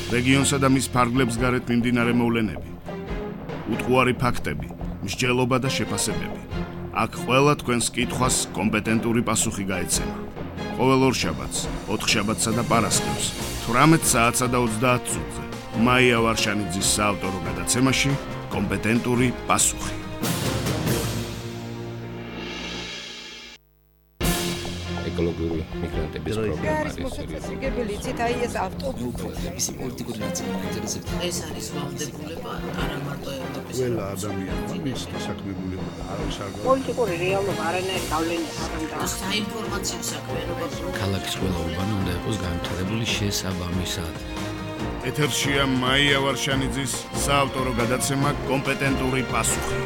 რეგიონსა და მის ფარგლებს გარეთ მიმდინარე მოვლენები, უტყუარი ფაქტები, მსჯელობა და შეფასებები. აქ ყველა თქვენს კითხვას კომპეტენტური პასუხი გაეცემა. ყოველ ორშაბათს, ოთხშაბათსა და პარასკევს, 18 საათსა და 30 წუთზე, მაია ვარშანიძის საავტორო გადაცემაში კომპეტენტური პასუხი. ეკოლოგიური მიგრანტების პრობლემა არის სერიოზული. იცით, აი ეს ავტობუსების პოლიტიკური ნაწილი ინტერესებს. ეს არის ვალდებულება არა მარტო ევროპის. ყველა ადამიანმა მის დასაქმებულება და არავის არ პოლიტიკური რეალობა არანაირ გავლენას არ აქვს. საინფორმაციო საქმიანობა ქალაქის ყველა უბანი უნდა იყოს განვითარებული შესაბამისად. ეთერშია მაია ვარშანიძის საავტორო გადაცემა კომპეტენტური პასუხი.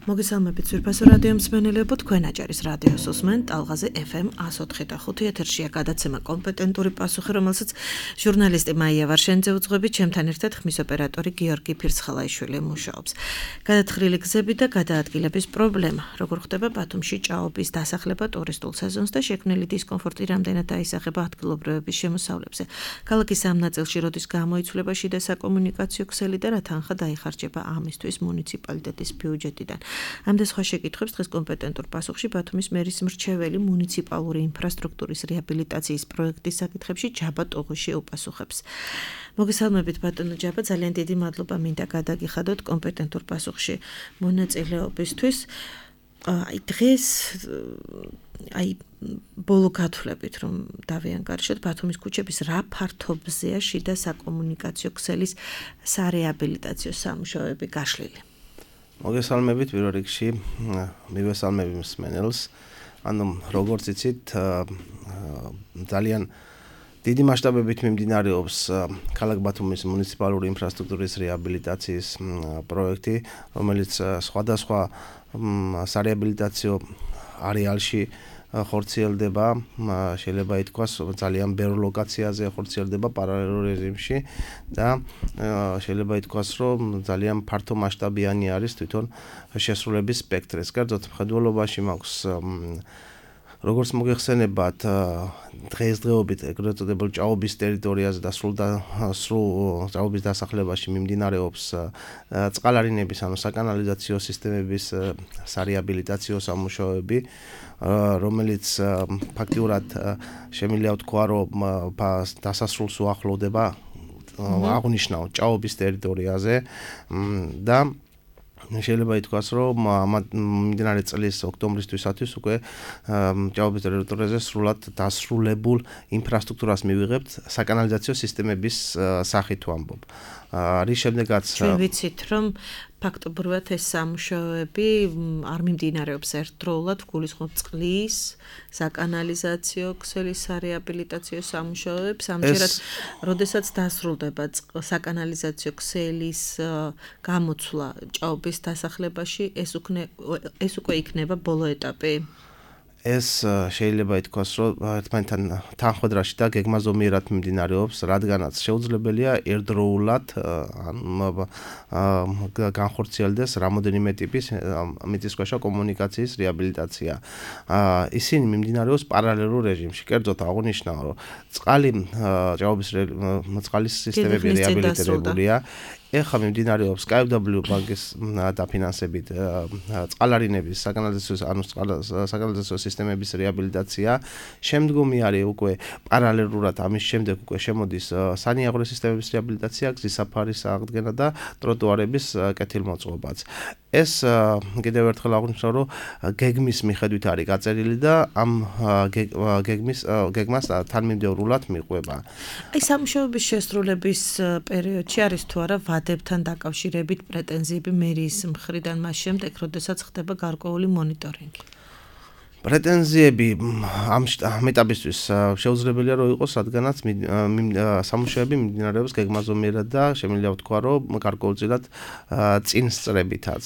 მოგესალმებით ძვირფასო რადიო მსმენელებო, თქვენ აჭარის რადიოს უსმენთ ტალღაზე FM 104.5 ეთერშია გადაცემა კომპეტენტური პასუხი, რომელსაც ჟურნალისტი მაია ვარშანიძე უძღვებით, ჩემთან ერთად ხმის ოპერატორი გიორგი ფირცხალაიშვილი მუშაობს. გადათხრილი გზები და გადაადგილების პრობლემა, როგორ ხდება ბათუმში ჭაობის დასახლება ტურისტულ სეზონს და შექმნილი დისკომფორტი რამდენად აისახება ადგილობრივების შემოსავლებზე. ქალაქის ამ ნაწილში როდის გამოიცვლება შიდა საკომუნიკაციო ქსელი და რა თანხა დაიხარჯება ამისთვის მუნიციპალიტეტის ბიუჯეტიდან. ამ და სხვა შეკითხვებს დღეს კომპეტენტურ პასუხში ბათუმის მერის მრჩეველი მუნიციპალური ინფრასტრუქტურის რეაბილიტაციის პროექტის საკითხებში ჯაბა ტოღუში უპასუხებს. მოგესალმებით ბატონო ჯაბა, ძალიან დიდი მადლობა მინდა გადაგიხადოთ კომპეტენტურ პასუხში მონაწილეობისთვის. დღეს ბოლო გათვლებით რომ დავიანგარიშოთ ბათუმის ქუჩების რა ფართობზეა შიდა საკომუნიკაციო ქსელის სარეაბილიტაციო სამუშაოები გაშლილი. მოგესალმებით პირველ რიგში, მივესალმები მსმენელს. ანუ როგორც იცით, ძალიან დიდი მასშტაბებით მიმდინარეობს ქალაქ ბათუმის მუნიციპალური ინფრასტრუქტურის რეაბილიტაციის პროექტი, რომელიც სხვადასხვა სარეაბილიტაციო არეალში ხორციელდება, შეიძლება ითქვას ძალიან ბევრ ლოკაციაზე ხორციელდება პარალელურ რეჟიმში და შეიძლება ითქვას, რომ ძალიან ფართო მასშტაბიანი არის თვითონ შესრულების სპექტრი. კერძოდ მხედველობაში მაქვს როგორც მოგეხსენებათ, დღესდღეობით ეგრეთ წოდებულ ჭაობის ტერიტორიაზე და სრულ ჭაობის დასახლებაში მიმდინარეობს წყალარინების, ანუ საკანალიზაციო სისტემების სარეაბილიტაციო სამუშაოები, რომელიც ფაქტიურად შემიძლია ვთქვა, რომ დასასრულს უახლოვდება, აღნიშნავ ჭაობის ტერიტორიაზე და შეიძლება ითქვას, რომ მიმდინარე წლის ოქტომბრისთვისაც უკვე ჭაობის ტერიტორიაზე სრულად დასრულებულ ინფრასტრუქტურას მივიღებთ საკანალიზაციო სისტემების სახით ვამბობ. რის შემდეგაც ჩვენ ვიცით, რომ ფაქტობრივად ეს სამუშაოები არ მიმდინარეობს ერთდროულად, გულისხმობ წყლის, საკანალიზაციო ქსელის სარეაბილიტაციო სამუშაოებს, ამჯერად, როდესაც დასრულდება საკანალიზაციო ქსელის გამოცვლა ჭაობის დასახლებაში, ეს უკვე იქნება ბოლო ეტაპი. ეს შეიძლება ითქვას, რომ ერთმანეთთან თანხმდრაში და გეგმაზომიერად მიმდინარეობს, რადგანაც შეუძლებელია ერთდროულად განხორციელდეს რამოდენიმე ტიპის მიწისქვეშა კომუნიკაციის რეაბილიტაცია. ისინი მიმდინარეობს პარალელურ რეჟიმში. კერძოდ აღნიშნავ, რომ წყლის სისტემები რეაბილიტირებულია. ეხლა მიმდინარეობს KfW ბანკის დაფინანსებით წყალარინების საკანალიზაციო სისტემების რეაბილიტაცია. შემდგომი არის უკვე პარალელურად ამის შემდეგ უკვე შემოდის სანიაღვრე სისტემების რეაბილიტაცია, გზის საფარის აღდგენა და ტროტუარების კეთილმოწყობაც. ეს კიდევ ერთხელ აღნიშნავ, რომ გეგმის მიხედვით არის გაწერილი და ამ გეგმას თანმიმდევრულად მიყვება. აი სამუშაოების შესრულების პერიოდში არის თუ არა ვადებთან დაკავშირებით პრეტენზიები მერიის მხრიდან მას შემდეგ, როდესაც ხდება გარკვეული მონიტორინგი? პრეტენზიები ამ ეტაპისთვის შეუძლებელია რომ იყოს, რადგანაც სამუშაოები მიმდინარეობს გეგმაზომიერად და შემიძლია ვთქვა, რომ გარკვეულწილად წინ სწრებითაც.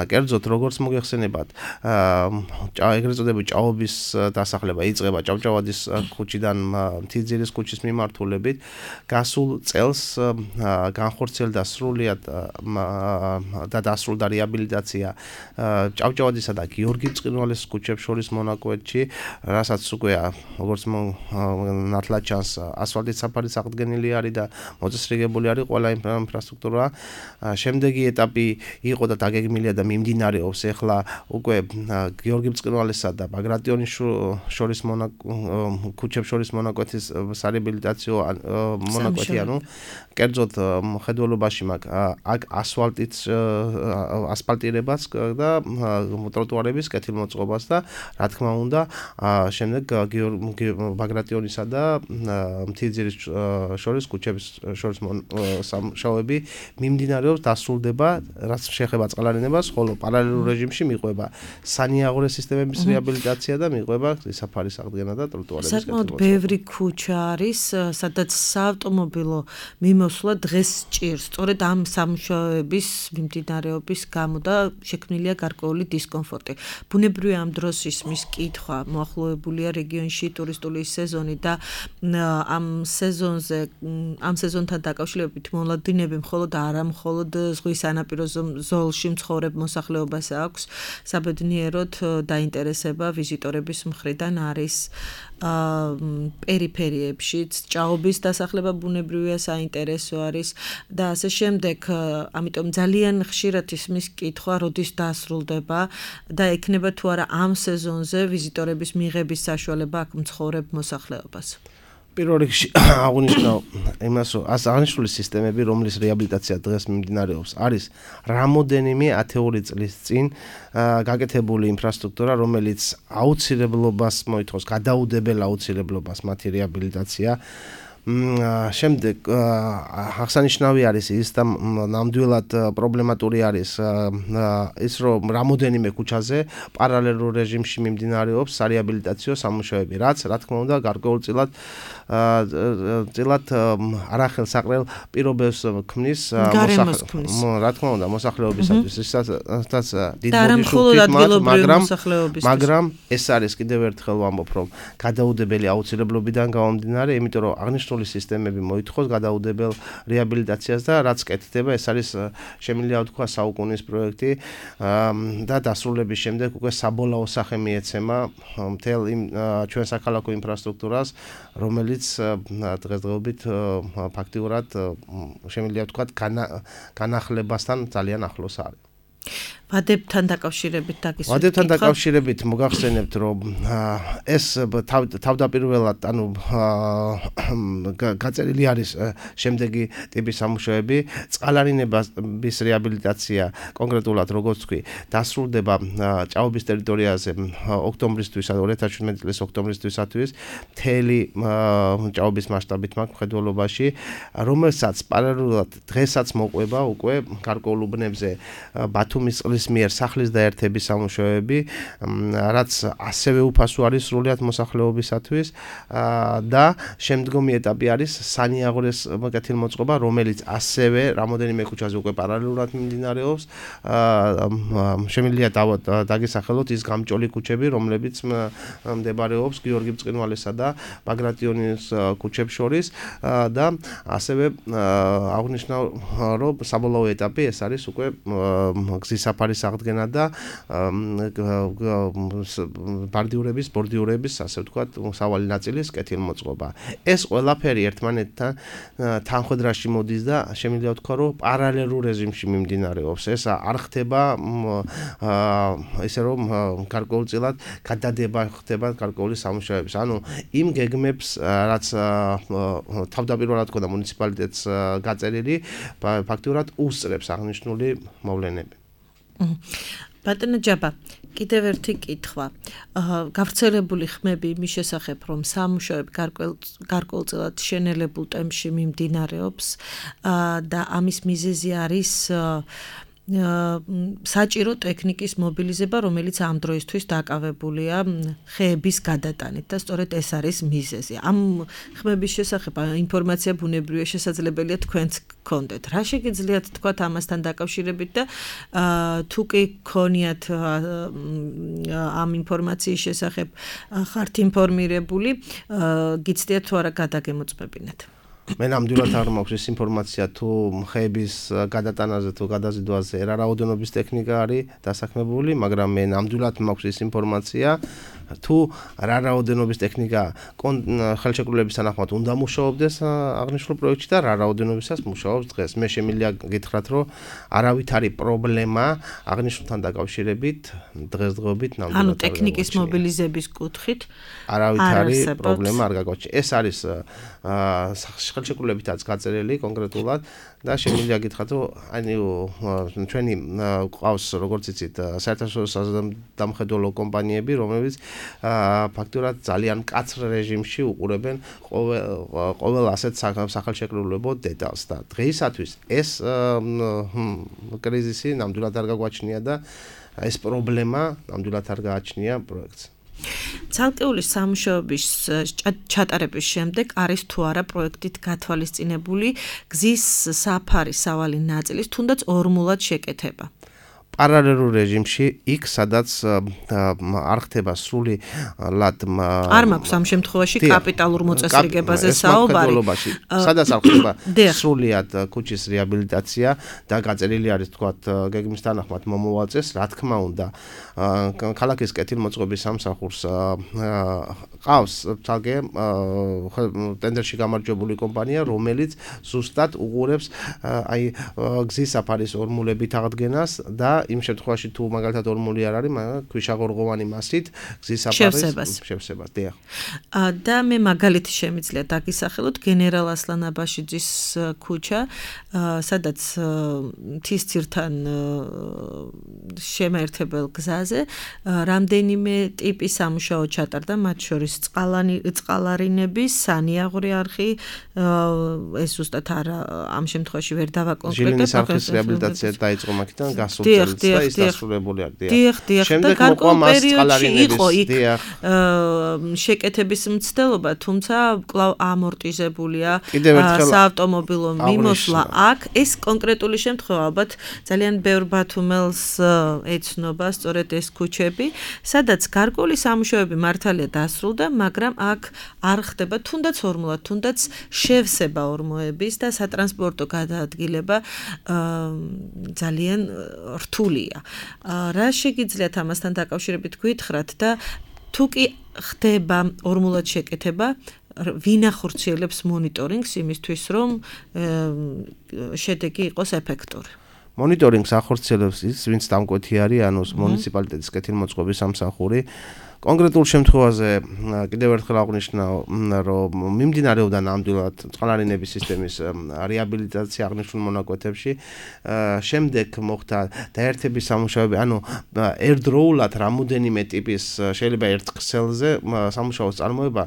კერძოდ, როგორც მოგეხსენებათ, ეგრეთ წოდებული ჭაობის დასახლება იწყება ჭავჭავაძის ქუჩიდან მთიძირის ქუჩის მიმართულებით. გასულ წელს განხორციელდა სრულიად და დასრულდა რეაბილიტაცია ჭავჭავაძისა და გიორგი წყინვალის ქუჩებში ქუჩებს შორის მონაკვეთში, რასაც უკვე როგორც ნათლად ჩანს, ასფალტით საფარი აღდგენილი არის და მოწესრიგებული არის ყველა ინფრასტრუქტურა. შემდეგი ეტაპი იყო და დაგეგმილია და მიმდინარეობს ახლა უკვე გიორგი ბრწყინვალესა და ბაგრატიონის შორის ქუჩებს შორის მონაკვეთის სარეაბილიტაციო მონაკვეთი, ანუ კერძოდ მხედველობაში მაქვს აქ ასფალტირებას და ტროტუარების კეთილმოწყობას და რა თქმა უნდა შემდეგ ბაგრატიონისა და მთიძირის შორის ქუჩების შორის სამუშაოები მიმდინარეობს, დასრულდება, რაც შეეხება წყალარინებას, ხოლო პარალელურ რეჟიმში მიყვება სანიაღვრე სისტემების რეაბილიტაცია და მიყვება გზისაფარის აღდგენა და ტროტუარების კეთილმოწყობა. საკმაოდ ბევრი ქუჩა არის, სადაც საავტომობილო მიმოსვლა დღეს ჭირს. სწორედ ამ სამუშაოების მიმდინარეობის გამო და შექმნილია გარკვეული დისკომფორტი. ბუნებრივია ამ დროს ისმის კითხვა, მოახლოებულია რეგიონში ტურისტული სეზონი და ამ სეზონთან დაკავშირებით მოლოდინები მხოლოდ არა მხოლოდ ზღვის სანაპირო ზოლში მცხოვრებ მოსახლეობას აქვს, საბედნიეროდ დაინტერესება ვიზიტორების მხრიდან არის პერიფერიებშიც, ჭაობის დასახლება ბუნებრივია საინტერესო არის და ასე შემდეგ. ამიტომ ძალიან ხშირად ისმის კითხვა, როდის დასრულდება და ექნება თუ არა ამ სეზონზე ვიზიტორების მიღების საშუალება აქ მცხოვრებ მოსახლეობას. პირველ რიგში აღნიშნავ იმას, რომ აღნიშნული სისტემები, რომლის რეაბილიტაცია დღეს მიმდინარეობს, არის რამოდენიმე ათეული წლის წინ გაკეთებული ინფრასტრუქტურა, რომელიც აუცილებლობას მოითხოვს, გადაუდებელ აუცილებლობას მათი რეაბილიტაცია. შემდეგ აღსანიშნავი არის ის და ნამდვილად პრობლემატური არის ის, რომ რამოდენიმე ქუჩაზე პარალელურ რეჟიმში მიმდინარეობს სარეაბილიტაციო სამუშაოები, რაც რა თქმა უნდა გარკვეულწილად არახელსაყრელ პირობებს ქმნის რა თქმა უნდა მოსახლეობისათვის, ისაც დიდ ბოდიშით, მაგრამ ეს არის კიდევ ერთხელ ვამბობ, რომ გადაუდებელი აუცილებლობიდან გამომდინარე, იმიტომ რომ აღნიშნული სისტემები მოითხოვს გადაუდებელ რეაბილიტაციას და რაც კეთდება, ეს არის შემიძლია ვთქვა საუკუნის პროექტი და დასრულების შემდეგ უკვე საბოლოო სახე მიეცემა მთელ იმ ჩვენ საქალაქო ინფრასტრუქტურას, რომელიც დღესდღეობით ფაქტიურად შემიძლია ვთქვა განახლებასთან ძალიან ახლოს არის. ვადებთან დაკავშირებით დაგისვით. ვადებთან დაკავშირებით მოგახსენებთ, რომ ეს თავდაპირველად, ანუ გაწერილი არის შემდეგი ტიპის სამუშაოები, წყალარინების რეაბილიტაცია, კონკრეტულად როგორც თქვი, დასრულდება ჭაობის ტერიტორიაზე ოქტომბრისთვის, 2017 წლის ოქტომბრისთვისათვის, მთელი ჭაობის მასშტაბით მაქვს მხედველობაში, რომელსაც პარალელურად დღესაც მოყვება უკვე გარკვეულ უბნებზე ბათუმის წყლის მიერ სახლის დაერთების სამუშაოები, რაც ასევე უფასო არის სრულიად მოსახლეობისათვის და შემდგომი ეტაპი არის სანიაღვრეს კეთილმოწყობა, რომელიც ასევე რამოდენიმე ქუჩაზე უკვე პარალელურად მიმდინარეობს. შემიძლია დაგესახელოთ ის გამჭოლი ქუჩები, რომლებიც მდებარეობს გიორგი ბრწყინვალესა და ბაგრატიონის ქუჩებს შორის და ასევე აღნიშნავ, რომ საბოლოო ეტაპი ეს არის უკვე გზისაფარის აღდგენა და ბორდიურების, ასე ვთქვათ, სავალი ნაწილის კეთილმოწყობა. ეს ყველაფერი ერთმანეთთან თანხვედრაში მოდის და შემიძლია ვთქვა, რომ პარალელურ რეჟიმში მიმდინარეობს. ეს არ ხდება ესე რომ გარკვეულწილად გადადება ხდება გარკვეული სამუშაოების. ანუ იმ გეგმებს, რაც თავდაპირველად ჰქონდა მუნიციპალიტეტს გაწერილი, ფაქტიურად უსწრებს აღნიშნული მოვლენები. ბატონო ჯაბა, კიდევ ერთი კითხვა. გავრცელებული ხმები იმის შესახებ, რომ სამუშაოები გარკვეულწილად შენელებულ ტემპში მიმდინარეობს და ამის მიზეზი არის საჭირო ტექნიკის მობილიზება, რომელიც ამ დროისთვის დაკავებულია ხეების გადატანით და სწორედ ეს არის მიზეზი. ამ ხმების შესახებ ინფორმაცია ბუნებრივია შესაძლებელია თქვენც გქონდეთ. რა შეგიძლიათ თქვათ ამასთან დაკავშირებით და თუ კი გქონიათ ამ ინფორმაციის შესახებ ხართ ინფორმირებული, გიცდიათ თუ არა გადაგემოწმებინათ. მე ნამდვილად არ მაქვს ის ინფორმაცია თუ ხეების გადატანაზე თუ გადაზიდვაზე რა რაოდენობის ტექნიკა არის დასაქმებული, მაგრამ მე ნამდვილად მაქვს ის ინფორმაცია თუ რა რაოდენობის ტექნიკა ხელშეკრულების თანახმად უნდა მუშაობდეს აღნიშნულ პროექტში და რა რაოდენობისას მუშაობს დღეს. მე შემიძლია გითხრათ, რომ არავით არის პრობლემა აღნიშნულთან დაკავშირებით დღესდღეობით ნამდვილად. ანუ ტექნიკის მობილიზების კუთხით არავით არის პრობლემა არ გაგვაჩნია. ეს არის ხელშეკრულებითაც გაწერილი კონკრეტულად და შემიძლია გითხრათ, რომ ჩვენი ყავს როგორც იცით საერთაშორისო საზრდამხედველო კომპანიები, რომლებიც ფაქტურად ძალიან მკაცრ რეჟიმში უყურებენ ყოველ ასეთ სახელშეკრულებო დეტალს და დღეისათვის ეს კრიზისი ნამდვილად არ გაგვაჩნია და ეს პრობლემა ნამდვილად არ გააჩნია პროექტს. ცალკეული სამუშაოების ჩატარების შემდეგ არის თუ არა პროექტით გათვალისწინებული გზის საფარი სავალი ნაწილის თუნდაც ორმულად შეკეთება. პარალელურ რეჟიმში იქ სადაც არ ხდება სრულად არ მაქვს ამ შემთხვევაში კაპიტალურ მოწესრიგებაზე საუბარი სადაც არ ხდება სრულად ქუჩის რეაბილიტაცია და გაწერილი არის თქვათ გეგმის თანახმად მომოვალწეს რა თქმა უნდა ქალაქის კეთილმოწყობის სამსახურს ყავს თალკე ტენდერში გამარჯვებული კომპანია რომელიც ზუსტად უყურებს აი გზის საფარის ორმულებით აღდგენას და იმ შემთხვევაში თუ მაგალითად ორმული არ არის, მაგრამ ქვიშაღორღოვანი მასით გზის საფარის შევსებას. დიახ. და მე მაგალითი შემიძლია დაგისახელოთ გენერალ ასლან აბაშიძის ქუჩა, სადაც მთისძირთან შემაერთებელ გზაზე რამდენიმე ტიპის სამუშაო ჩატარდა, მათ შორის წყალარინების, სანიაღვრე არხი, ეს ზუსტად ამ შემთხვევაში ვერ დავაკონკრეტებ. ჟილინის არხის რეაბილიტაცია დაიწყო მაგიდან გასულ წელს. ის დასრულებული არის. დიახ. და გარკვეულ პერიოდში იყო იქ შეკეთების მცდელობა, თუმცა კვლავ ამორტიზებულია საავტომობილო მიმოსვლა აქ. ეს კონკრეტული შემთხვევა ალბათ ძალიან ბევრ ბათუმელს ეცნობა სწორედ ეს ქუჩები, სადაც გარკვეული სამუშაოები მართალია დასრულდა, მაგრამ აქ არ ხდება თუნდაც ორმულად, თუნდაც შევსება ორმოების და სატრანსპორტო გადაადგილება ძალიან რთულია. რა შეგიძლიათ ამასთან დაკავშირებით გითხრათ და თუ კი ხდება ორმულად შეკეთება, ვინ ახორციელებს მონიტორინგს იმისთვის, რომ შედეგი იყოს ეფექტური? მონიტორინგს ახორციელებს ის, ვინც დამკვეთი არის, ანუ მუნიციპალიტეტის კეთილმოწყობის სამსახური. კონკრეტულ შემთხვევაზე კიდევ ერთხელ აღვნიშნავ, რომ მიმდინარეობდა ნამდვილად წყალარინების სისტემის რეაბილიტაცია აღნიშნულ მონაკვეთებში. შემდეგ მოხდა დაერთების სამუშაოები, ანუ ერთდროულად რამოდენიმე ტიპის შეიძლება ერთ ქსელზე სამუშაოს წარმოება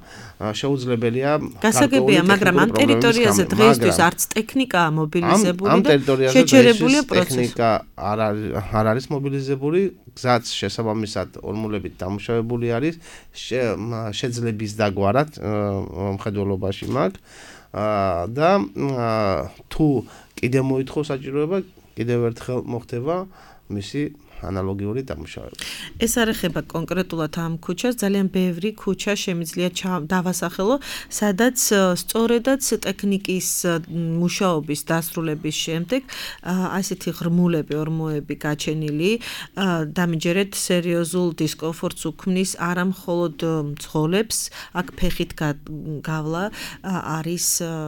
შეუძლებელია. გასაგებია, მაგრამ ამ ტერიტორიაზე დღეისთვის არც ტექნიკაა მობილიზებული და შეჩერებულია პროცესი. ტექნიკა არ არის მობილიზებული, გზაც შესაბამისად ორმულებით დამუშავებული არის შეძლების დაგვარად მხედველობაში მაგ და თუ კიდე მოითხოვს საჭიროება კიდევ ერთხელ მოხდება მისი ანალოგიური დამუშავება. ეს არ ეხება კონკრეტულად ამ ქუჩას, ძალიან ბევრი ქუჩა შემიძლია დავასახელო, სადაც სწორედაც ტექნიკის მუშაობის დასრულების შემდეგ ასეთი ღრმულები, ორმოები გაჩენილი, დამიჯერეთ სერიოზულ დისკომფორტს უქმნის არა მხოლოდ მძღოლებს, აქ ფეხით გავლა არის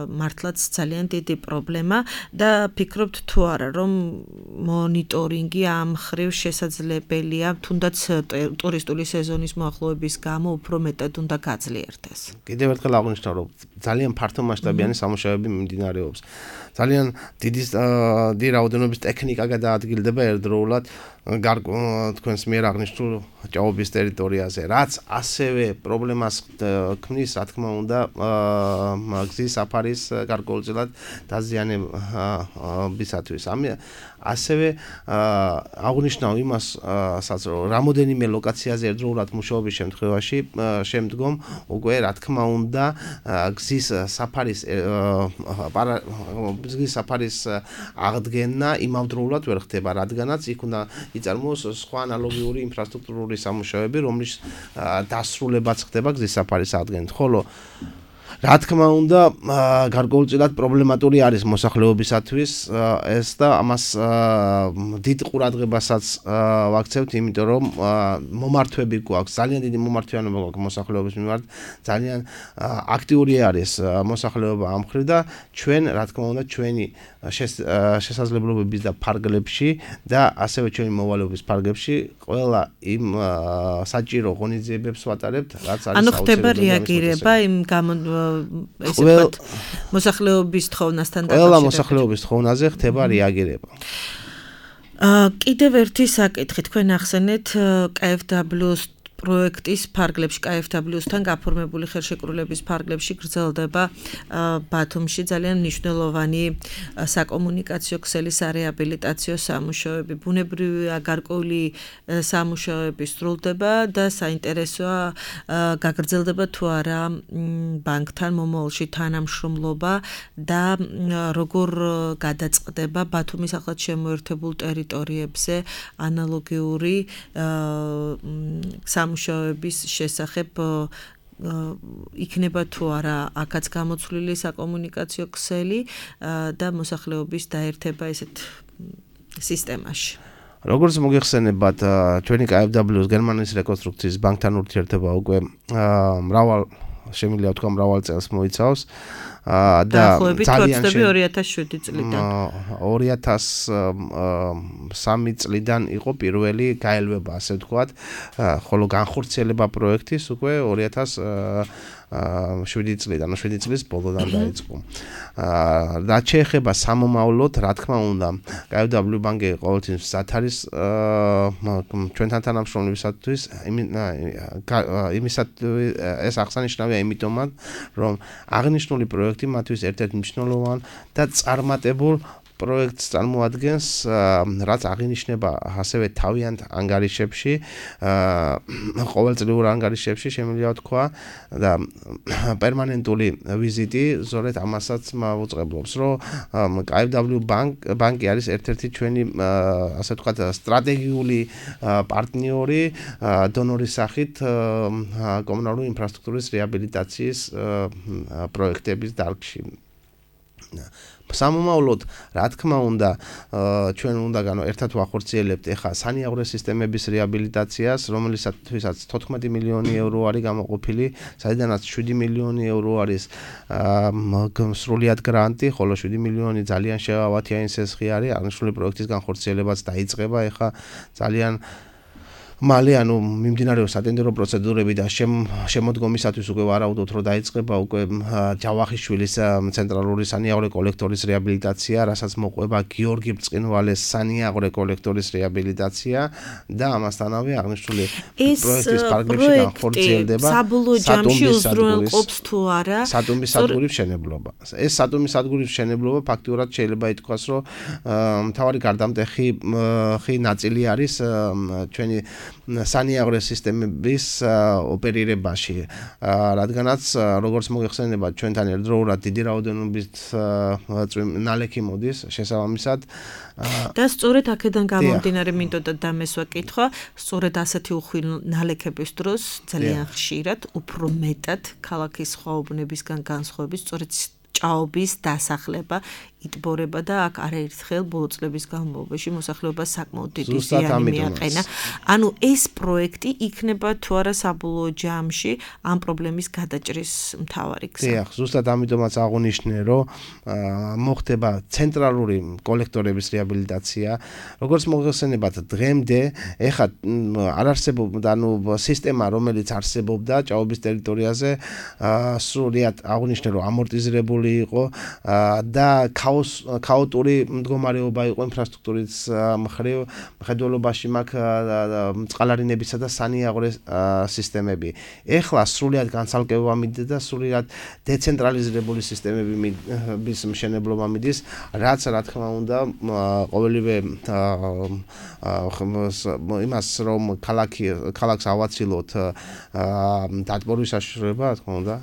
მართლაც ძალიან დიდი პრობლემა და ფიქრობთ თუ არა, რომ მონიტორინგი ამ ხრივ შესაძლებელია, თუნდაც ტურისტული სეზონის მოახლოების გამო უფრო მეტად უნდა გაძლიერდეს. კიდევ ერთხელ აღვნიშნავ, რომ ძალიან ფართომასშტაბიანი სამუშაოები მიმდინარეობს. ძალიან დიდი რაოდენობის ტექნიკა გადაადგილდება ერთდროულად თქვენს მიერ აღნიშნულ ჭაობის ტერიტორიაზე, რაც ასევე პრობლემას ქმნის, რა თქმა უნდა, გზის საფარის გარკვეულწილად დაზიანებისათვის. ასევე აღვნიშნავ იმასაც, რომ რამოდენიმე ლოკაციაზე ერთდროულად მუშაობის შემთხვევაში შემდგომ უკვე რა თქმა უნდა გზის საფარის აღდგენა იმავდროულად ვერ ხდება, რადგანაც იქ უნდა იწარმოოს სხვა ანალოგიური ინფრასტრუქტურული სამუშაოები, რომლის დასრულებაც ხდება გზის საფარის აღდგენით. ხოლო რა თქმა უნდა, გარკვეულწილად პრობლემატური არის მოსახლეობისათვის ეს და ამას დიდ ყურადღებასაც ვაქცევთ, იმიტომ რომ მომართვები გვაქვს, ძალიან დიდი მომართვიანობა გვაქვს მოსახლეობის მიმართ, ძალიან აქტიური არის მოსახლეობა ამ მხრივ და ჩვენ, რა თქმა უნდა, ჩვენი შესაძლებლობების და ფარგლებში და ასევე ჩვენი მოვალეობის ფარგლებში ყველა იმ საჭირო ღონისძიებებს ვატარებთ, რაც არის ანუ ხდება რეაგირება იმ ესე ვთქვათ მოსახლეობის თხოვნასთან დაკავშირებით. ყველა მოსახლეობის თხოვნაზე ხდება რეაგირება. კიდევ ერთი საკითხი, თქვენ ახსენეთ KfW-ს პროექტის ფარგლებში KfW-სთან გაფორმებული ხელშეკრულების ფარგლებში გრძელდება ბათუმში ძალიან მნიშვნელოვანი საკომუნიკაციო ქსელი სარეაბილიტაციო სამუშაოები, ბუნებრივი გარკვეული სამუშაოები სრულდება და საინტერესოა გაგრძელდება თუ არა ბანკთან მომავალში თანამშრომლობა და როგორ გადაწყდება ბათუმის ახლად შემოერთებულ ტერიტორიებზე ანალოგიური სამუშაოების შესახებ იქნება თუ არა აქაც გამოცვლილი საკომუნიკაციო ქსელი და მოსახლეობის დაერთება ესეთ სისტემაში. როგორც მოგეხსენებათ, ჩვენი KfW-ს გერმანიის რეკონსტრუქციის ბანკთან ურთიერთობა უკვე შემიძლია ვთქვა მრავალ წელს მოიცავს და ძალიან 2007 წლიდან 2003 წლიდან იყო პირველი გაელვება, ასე ვთქვათ, ხოლო განხორციელება პროექტის უკვე 2007 წლიდან, 7 წლის ბოლოდან დაიწყო. რაც შეეხება სამომავლოდ, რა თქმა უნდა, KfW ბანკი ყოველთვის მზად არის ჩვენთან თანამშრომლებისათვის, იმისათვის ეს აღსანიშნავია იმიტომაც, რომ აღნიშნული პროექტი მათთვის ერთ-ერთ მნიშვნელოვან და წარმატებულ პროექტს წარმოადგენს, რაც აღინიშნება ასევე თავიანთ ანგარიშებში, ყოველწლიურ ანგარიშებში შემიძლია ვთქვა და პერმანენტული ვიზიტი ზოგადად ამასაც მოუწყებლობს, რომ KfW ბანკი არის ერთ-ერთი ჩვენი, ასე ვთქვათ, სტრატეგიული პარტნიორი დონორის სახით კომუნალური ინფრასტრუქტურის რეაბილიტაციის პროექტების დარგში. სამომავლოდ, რა თქმა უნდა, ჩვენ უნდა ერთად ვახორციელებთ ეხლა სანიაღვრე სისტემების რეაბილიტაციას, რომელიცათვისაც 14 მილიონი ევრო არის გამოყოფილი, საიდანაც 7 მილიონი ევრო არის სრულიად გრანტი, ხოლო 7 მილიონი ძალიან შევავათიანი სესხი არის, აღნიშნული პროექტის განხორციელებაც დაიწყება ეხლა ძალიან მალე, ანუ მიმდინარეობს სატენდერო პროცედურები და შემოდგომისათვის უკვე ვარაუდობთ, რომ დაიწყება უკვე ჯავახიშვილის ცენტრალური სანიაღვრე კოლექტორის რეაბილიტაცია, რასაც მოყვება გიორგი ბრწყინვალეს სანიაღვრე კოლექტორის რეაბილიტაცია და ამასთანავე აღნიშნული პროექტის ფარგლებში განხორციელდება საბოლოო ჯამში უზრუნველყოფს თუ არა სატუმბის სადგურის მშენებლობა. ეს სატუმბის სადგურის მშენებლობა ფაქტიურად შეიძლება ითქვას, რომ მთავარი გარდამტეხი ნაწილი არის ჩვენი სანიაღვრე სისტემების ოპერირებაში, რადგანაც როგორც მოგეხსენებათ, ჩვენთან ერთდროულად დიდი რაოდენობით ნალექი მოდის შესაბამისად და სწორედ აქედან გამომდინარე მინდოდა დამესვა კითხვა, სწორედ ასეთი უხვი ნალექების დროს ძალიან ხშირად უფრო მეტად ქალაქის ხვაობნებისგან განსხვავებით სწორედ ჭაობის დასახლება იტბორება და აქ არაერთხელ ბოლო წლების განმავლობაში მოსახლეობას საკმაოდ დიდი ზიანი მიაყენა. ანუ ეს პროექტი იქნება თუ არა საბოლოო ჯამში ამ პრობლემის გადაჭრის მთავარი გზა. დიახ, ზუსტად ამიტომაც აღნიშნე, რომ მოხდება ცენტრალური კოლექტორების რეაბილიტაცია. როგორც მოგეხსენებათ, დღემდე ეხლა არ არსებობდა სისტემა, რომელიც არსებობდა ჭაობის ტერიტორიაზე, სრულიად აღნიშნე, რომ ამორტიზირებული იყო და ქაოტური მდგომარეობა იყო ინფრასტრუქტურის მხრივ, მხედველობაში მაქვს წყალარინებისა და სანიაღვრე სისტემები. ეხლა სრულიად განცალკევება მიდის და სრულიად დეცენტრალიზებული სისტემების მშენებლობა მიდის, რაც რა თქმა უნდა ყოველივე იმას რომ ქალაქს ავაცილოთ დატბორვის საშუალება, რა თქმა უნდა.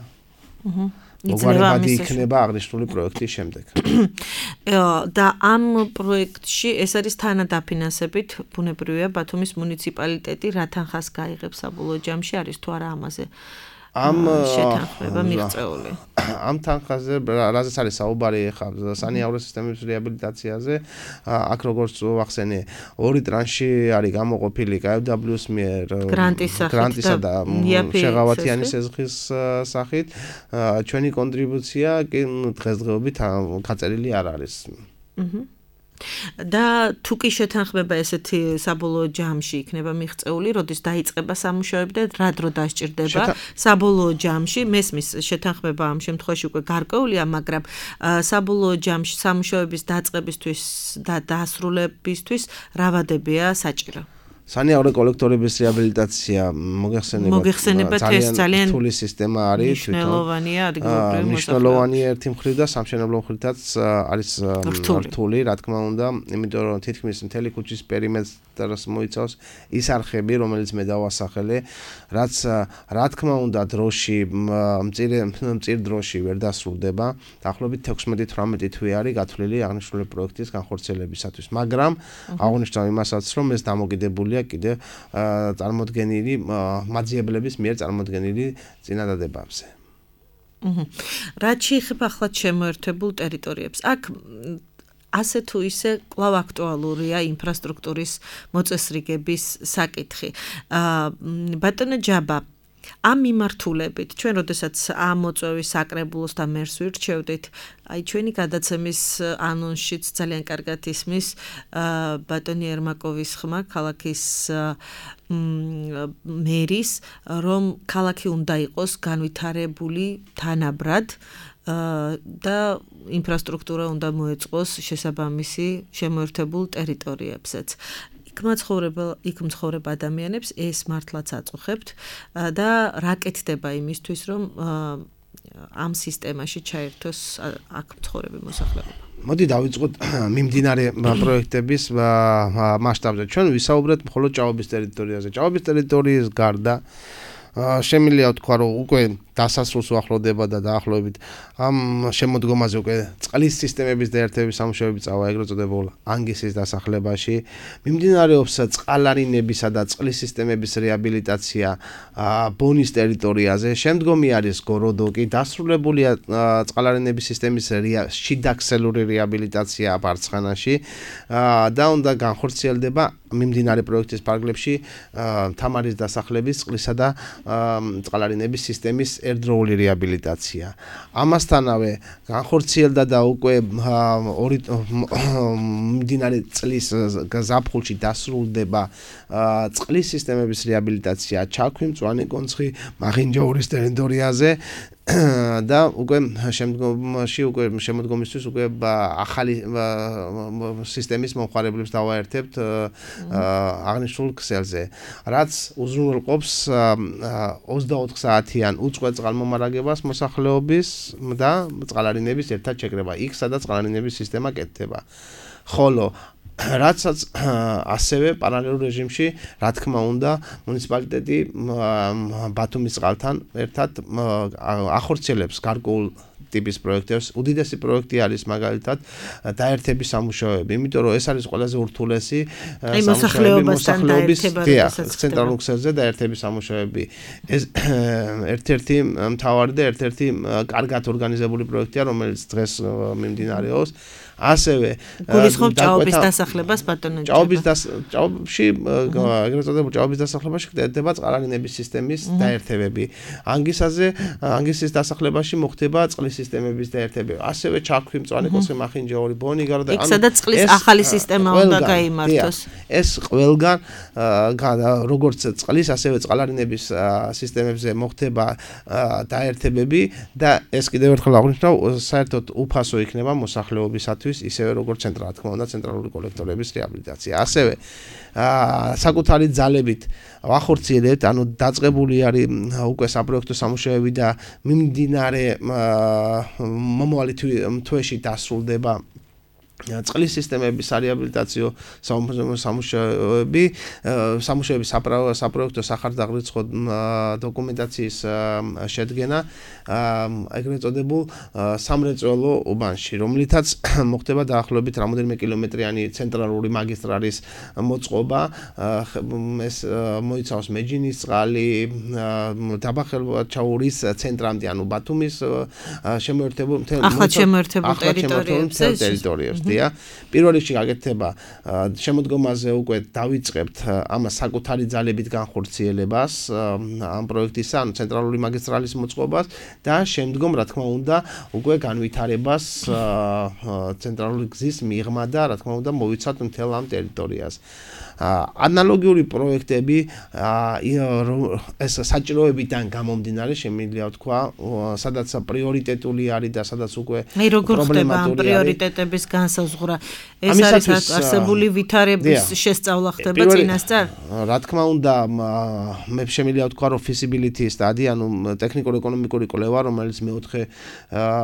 მოგварებადი იქნება აღნიშნული პროექტის შემდეგ. და ამ პროექტში ეს არის თანადაფინანსებით, ბუნებრივია ბათუმის მუნიციპალიტეტი რა თანხას გაიღებს საბოლოო ჯამში არის თუ არა ამაზე შეთანხმება მიღწეული. ამ თანხაზე რაზეც არის საუბარი ახლა სანიავრო სისტემების რეაბილიტაციაზე, აქ როგორც ვახსენე, ორი ტრანში არის გამოყოფილი KfW-ს მიერ გრანტისა და შეღავათიანი სეზღის სახით. ჩვენი კონტრიბუცია კი დღესდღეობით გაწერილი არ არის. და თუ კი შეთანხმება ესეთი საბოლოო ჯამში იქნება მიღწეული, როდის დაიწყება სამუშაოები და რა დრო დასჭირდება საბოლოო ჯამში, მესმის შეთანხმება ამ შემთხვევაში უკვე გარკვეულია, მაგრამ საბოლოო ჯამში სამუშაოების დაწყებისთვის და დასრულებისთვის რა ვადებია საჭირო? სანიავრო კოლექტორების რეაბილიტაცია მოგეხსენებათ ძალიან რთული სისტემა არის მნიშვნელოვანია ადგილობრივი მნიშვნელოვანი ერთი მხრივ და სამშენებლო მხრითაც არის რთული რა თქმა უნდა იმიტომ რომ თითქმის მთელი ქუჩის პერიმეტრს მოიცავს ის არხები რომელიც მე დავასახელე რაც რა თქმა უნდა დროში მწირ დროში ვერ დასრულდება დაახლოებით 16-18 თვე არის გათვლილი აღნიშნული პროექტის განხორციელებისათვის მაგრამ აღნიშნავ იმასაც რომ ეს დამოკიდებული კიდე წარმოდგენილი მაძიებლების მიერ წარმოდგენილი წინადადებებზე. რაც შეეხება ახლა შემოერთებულ ტერიტორიებს, აქ ასე თუ ისე კვლავ აქტუალურია ინფრასტრუქტურის მოწესრიგების საკითხი. ბატონო ჯაბა ამ მიმართულებით ჩვენ როდესაც ამ მოწვევის საკრებულოს და მერს ვირჩევდით, აი ჩვენი გადაცემის ანონსშიც ძალიან კარგად ისმის ბატონი ერმაკოვის ხმა ქალაქის მერის, რომ ქალაქი უნდა იყოს განვითარებული თანაბრად და ინფრასტრუქტურა უნდა მოეწყოს შესაბამისი შემოერთებულ ტერიტორიებზეც. იქ მცხოვრებ ადამიანებს ეს მართლაც აწუხებთ და რა კეთდება იმისთვის, რომ ამ სისტემაში ჩაერთოს აქ მცხოვრები მოსახლეობა. მოდი დავიწყოთ მიმდინარე პროექტების მასშტაბზე. ჩვენ ვისაუბრეთ მხოლოდ ჭაობის ტერიტორიაზე. ჭაობის ტერიტორიის გარდა შემიძლია ვთქვა, რომ უკვე დასასრულს უახლოვდება და დაახლოებით ამ შემოდგომაზე უკვე წყლის სისტემების და ერთების სამუშაოები წავა ეგრეთ წოდებულ ანგისის დასახლებაში. მიმდინარეობს წყალარინებისა და წყლის სისტემების რეაბილიტაცია ბონის ტერიტორიაზე. შემდგომი არის გოროდოკი, დასრულებულია წყალარინების სისტემის შიდაქსელური რეაბილიტაცია ბარცხანაში და უნდა განხორციელდება მიმდინარე პროექტის ფარგლებში თამარის დასახლების წყლისა და წყალარინების სისტემის ერთდროული რეაბილიტაცია. ამასთანავე განხორციელდა და უკვე მიმდინარე წლის ზაფხულში დასრულდება წყლის სისტემების რეაბილიტაცია ჩაქვი, მწვანე კონცხი, მაღინჯაურის ტერიტორიაზე და უკვე შემოდგომისთვის უკვე ახალი სისტემის მომხმარებლებს დავაერთებთ აღნიშნულ ქსელზე, რაც უზრუნველყოფს 24 საათიან უწყვეტ წყალმომარაგებას მოსახლეობის და წყალარინების ერთად შეკრება იქ, სადაც წყალარინების სისტემა კეთდება. ხოლო რაცაც ასევე პარალელურ რეჟიმში, რა თქმა უნდა, მუნიციპალიტეტი ბათუმის წყალთან ერთად ახორციელებს გარკვეულ ტიპის პროექტებს. უდიდესი პროექტი არის მაგალითად დაერთების სამუშაოები, იმიტომ რომ ეს არის ყველაზე ურთულესი მოსახლეობის ცენტრალურ ქსელზე დაერთების სამუშაოები. ეს ერთ-ერთი მთავარი და ერთ-ერთი კარგად ორგანიზებული პროექტია, რომელიც დღეს მიმდინარეობს. ასევე გულისხმობ ჭაობის დასახლებას ბატონო ჭაობში ეგრეთ წოდებულ ჭაობის დასახლებაში ხდება წყალარინების სისტემის დაერთებები. ანგისის დასახლებაში მოხდება წყლის სისტემების დაერთებები. ასევე ჩაქვი, მწვანე კონცხი, მახინჯაური, ბონი გარო და იქ სადაც წყლის ახალი სისტემა უნდა გაიმართოს. ეს ყველგან როგორც წყლის, ასევე წყალარინების სისტემებზე მოხდება დაერთებები და ეს კიდევ ერთხელ აღვნიშნავ, საერთოდ უფასო იქნება მოსახლეობისათვის ისევე როგორც ცენტრალური კოლექტორების რეაბილიტაცია. ასევე საკუთარი ძალებით ვახორციელებთ, ანუ დაწყებული არის უკვე საპროექტო სამუშაოები და მიმდინარე მომავალი თვეში დასრულდება წყლის სისტემების რეაბილიტაციო სამუშაოების საპროექტო სახარდაღრიცხვა დოკუმენტაციის შედგენა ეგრეთ წოდებულ სამრეწველო უბანში, რომლითაც მოხდება დაახლოებით რამოდენიმე კილომეტრიანი ცენტრალური მაგისტრალის მოწყობა, ეს მოიცავს მეჯინისწყალი, დაბახელვაჩაურის ცენტრამდე, ანუ ბათუმის შემოერთებულ ტერიტორიებს. პირველ რიგში გაკეთდება შემოდგომაზე უკვე დავიწყებთ ამას საკუთარი ძალებით განხორციელებას ამ პროექტისა, ანუ ცენტრალური მაგისტრალის მოწყობას და შემდგომ რა თქმა უნდა უკვე განვითარებას ცენტრალური გზის მიღმა და რა თქმა უნდა მოვიცავთ მთელ ამ ტერიტორიას. ანალოგიური პროექტები ეს საჭიროებიდან გამომდინარე შემიძლია ვთქვა, სადაც პრიორიტეტული არის და სადაც უკვე პრობლემატური პრიორიტეტების განსაზღვრა. ეს არის არსებული ვითარების შესწავლა ხდება წინასწარ? რა თქმა უნდა, მე შემიძლია ვთქვა, რომ feasibility study, ანუ ტექნიკურ-ეკონომიკური კვლევა, რომელიც მეოთხე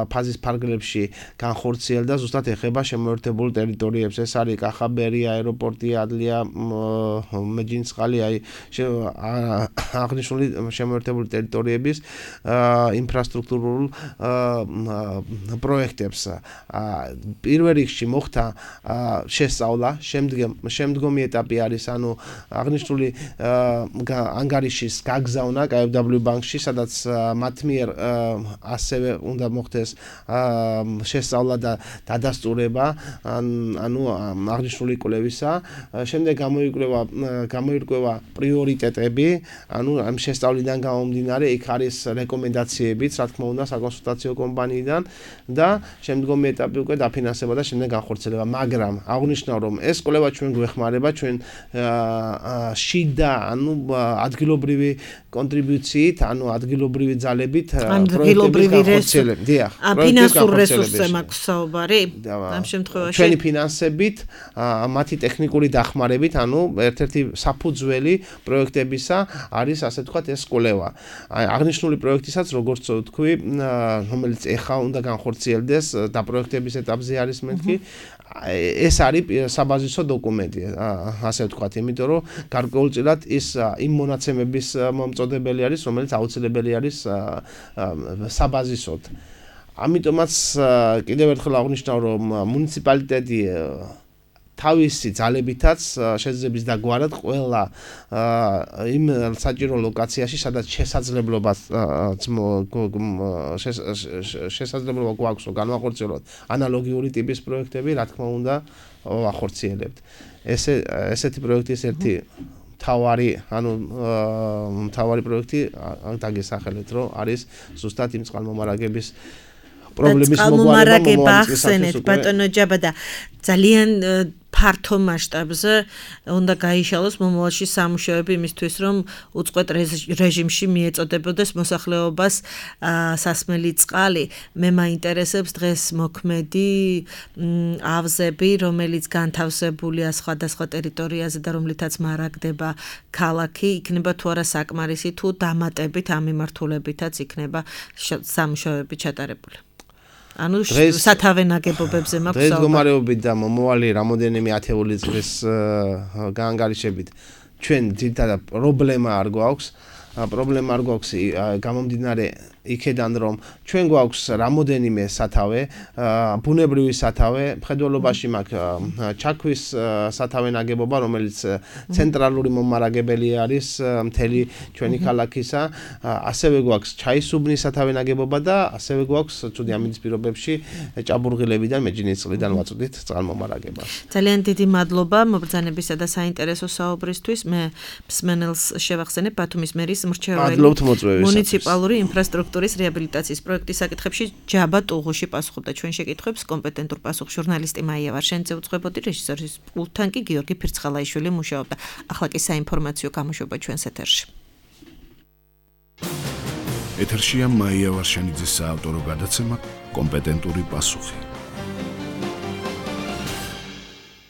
ფაზის ფარგლებში განხორციელდა, ზუსტად ეხება შემოერთებულ ტერიტორიებს. ეს არის კახაბერი, აეროპორტი, ადლია, მეჯინისწყალი, აღნიშნული შემოერთებული ტერიტორიების ინფრასტრუქტურულ პროექტებს. პირველ რიგში მოხდა შესწავლა, შემდგომი ეტაპი არის, ანუ აღნიშნული ანგარიშის გაგზავნა KfW ბანკში, სადაც მათ მიერ ასევე უნდა მოხდეს შესწავლა და დადასტურება, ანუ აღნიშნული კვლევისა. შემდეგ გამოირკვევა პრიორიტეტები, ანუ ამ შესწავლიდან გამომდინარე, იქ არის რეკომენდაციებიც, რა თქმა უნდა, საკონსულტაციო კომპანიიდან და შემდგომი ეტაპი უკვე დაფინანსება და შემდეგ განხორციელება, მაგრამ აღნიშნავ, რომ ეს კვლევა ჩვენ გვეხმარება, ჩვენ შიდა, ანუ ადგილობრივი კონტრიბუციით, ანუ ადგილობრივი ძალებით პროექტების განხორციელება. დიახ, ფინანსურ რესურსზე მაქვს საუბარი ამ შემთხვევაში. ჩვენი ფინანსებით, მათი ტექნიკური დახმარებით, ანუ ერთ-ერთი საფუძველი პროექტებისა არის, ასე ვთქვათ, ეს კვლევა. აღნიშნული პროექტისაც, როგორც ვთქვი, რომელიც ეხლა უნდა განხორციელდეს და პროექტების ეტაპზე არის მეთქი, ეს არის საბაზისო დოკუმენტი, ასე ვთქვათ, იმიტომ რომ გარკვეულწილად ის იმ მონაცემების მომწოდებელი არის, რომელიც აუცილებელი არის საბაზისოდ. ამიტომაც კიდევ ერთხელ აღნიშნავ, რომ მუნიციპალიტეტი თავისი ძალებითაც შეძლებს დაგვარად ყველა იმ საჭირო ლოკაციაში, სადაც შესაძლებლობა გვაქვს განვახორციელოთ ანალოგიური ტიპის პროექტები, რა თქმა უნდა, ვახორციელებთ. ესეთი პროექტის ერთი მთავარი პროექტი დაგესახელეთ, რომ არის ზუსტად იმ წყალმომარაგების პრობლემის მოგვარება ახსენეთ, ბატონო ჯაბადა, ძალიან ფართო მასშტაბზე უნდა გაიშალოს მომავალში სამუშაოები იმისთვის, რომ უწყვეტ რეჟიმში მიეწოდებოდეს მოსახლეობას სასმელი წყალი. მე მაინტერესებს დღეს მოქმედი ავზები, რომელიც განთავსებულია სხვადასხვა ტერიტორიაზე და რომლითაც მარაგდება ქალაქი, იქნება თუ არა საკმარისი, თუ დამატებით ამ მიმართულებითაც იქნება სამუშაოები ჩატარებული. ანუ სათავე ნაგებობებზე მაქვს დღეს მდგომარეობით და მომავალი რამოდენიმე ათეული წლის გაანგარიშებით ჩვენ ძირითადად პრობლემა არ გვაქვს გამომდინარე იქედან რომ ჩვენ გვაქვს რამოდენიმე სათავე, ბუნებრივი სათავე, მხედველობაში მაქვს ჩაქვის სათავე ნაგებობა, რომელიც ცენტრალური მომარაგებელი არის მთელი ჩვენი ქალაქისა, ასევე გვაქვს ჩაისუბნის სათავე ნაგებობა და ასევე გვაქვს ცუდი ამინდის პირობებში ჭაბურღილებიდან, მეჯინისწყლიდან ვაწვდით წყალმომარაგებას. ძალიან დიდი მადლობა მობრძანებისა და საინტერესო საუბრისთვის. მე მსმენელს შევახსენებ ბათუმის მერის მრჩეველი მუნიციპალური ინფრასტრუქტურის რეაბილიტაციის პროექტის საკითხებში ჯაბა ტუღუში პასუხობდა ჩვენ შეკითხვებს. კომპეტენტურ პასუხს ჟურნალისტი მაია ვარშენიძე უძღვებოდი, რეჟისორის პულტთან კი გიორგი ფირცხალაიშვილი მუშაობდა. ახლა კი საინფორმაციო გამოშვება ჩვენს ეთერში. ეთერშია მაია ვარშენიძის საავტორო გადაცემა კომპეტენტური პასუხი.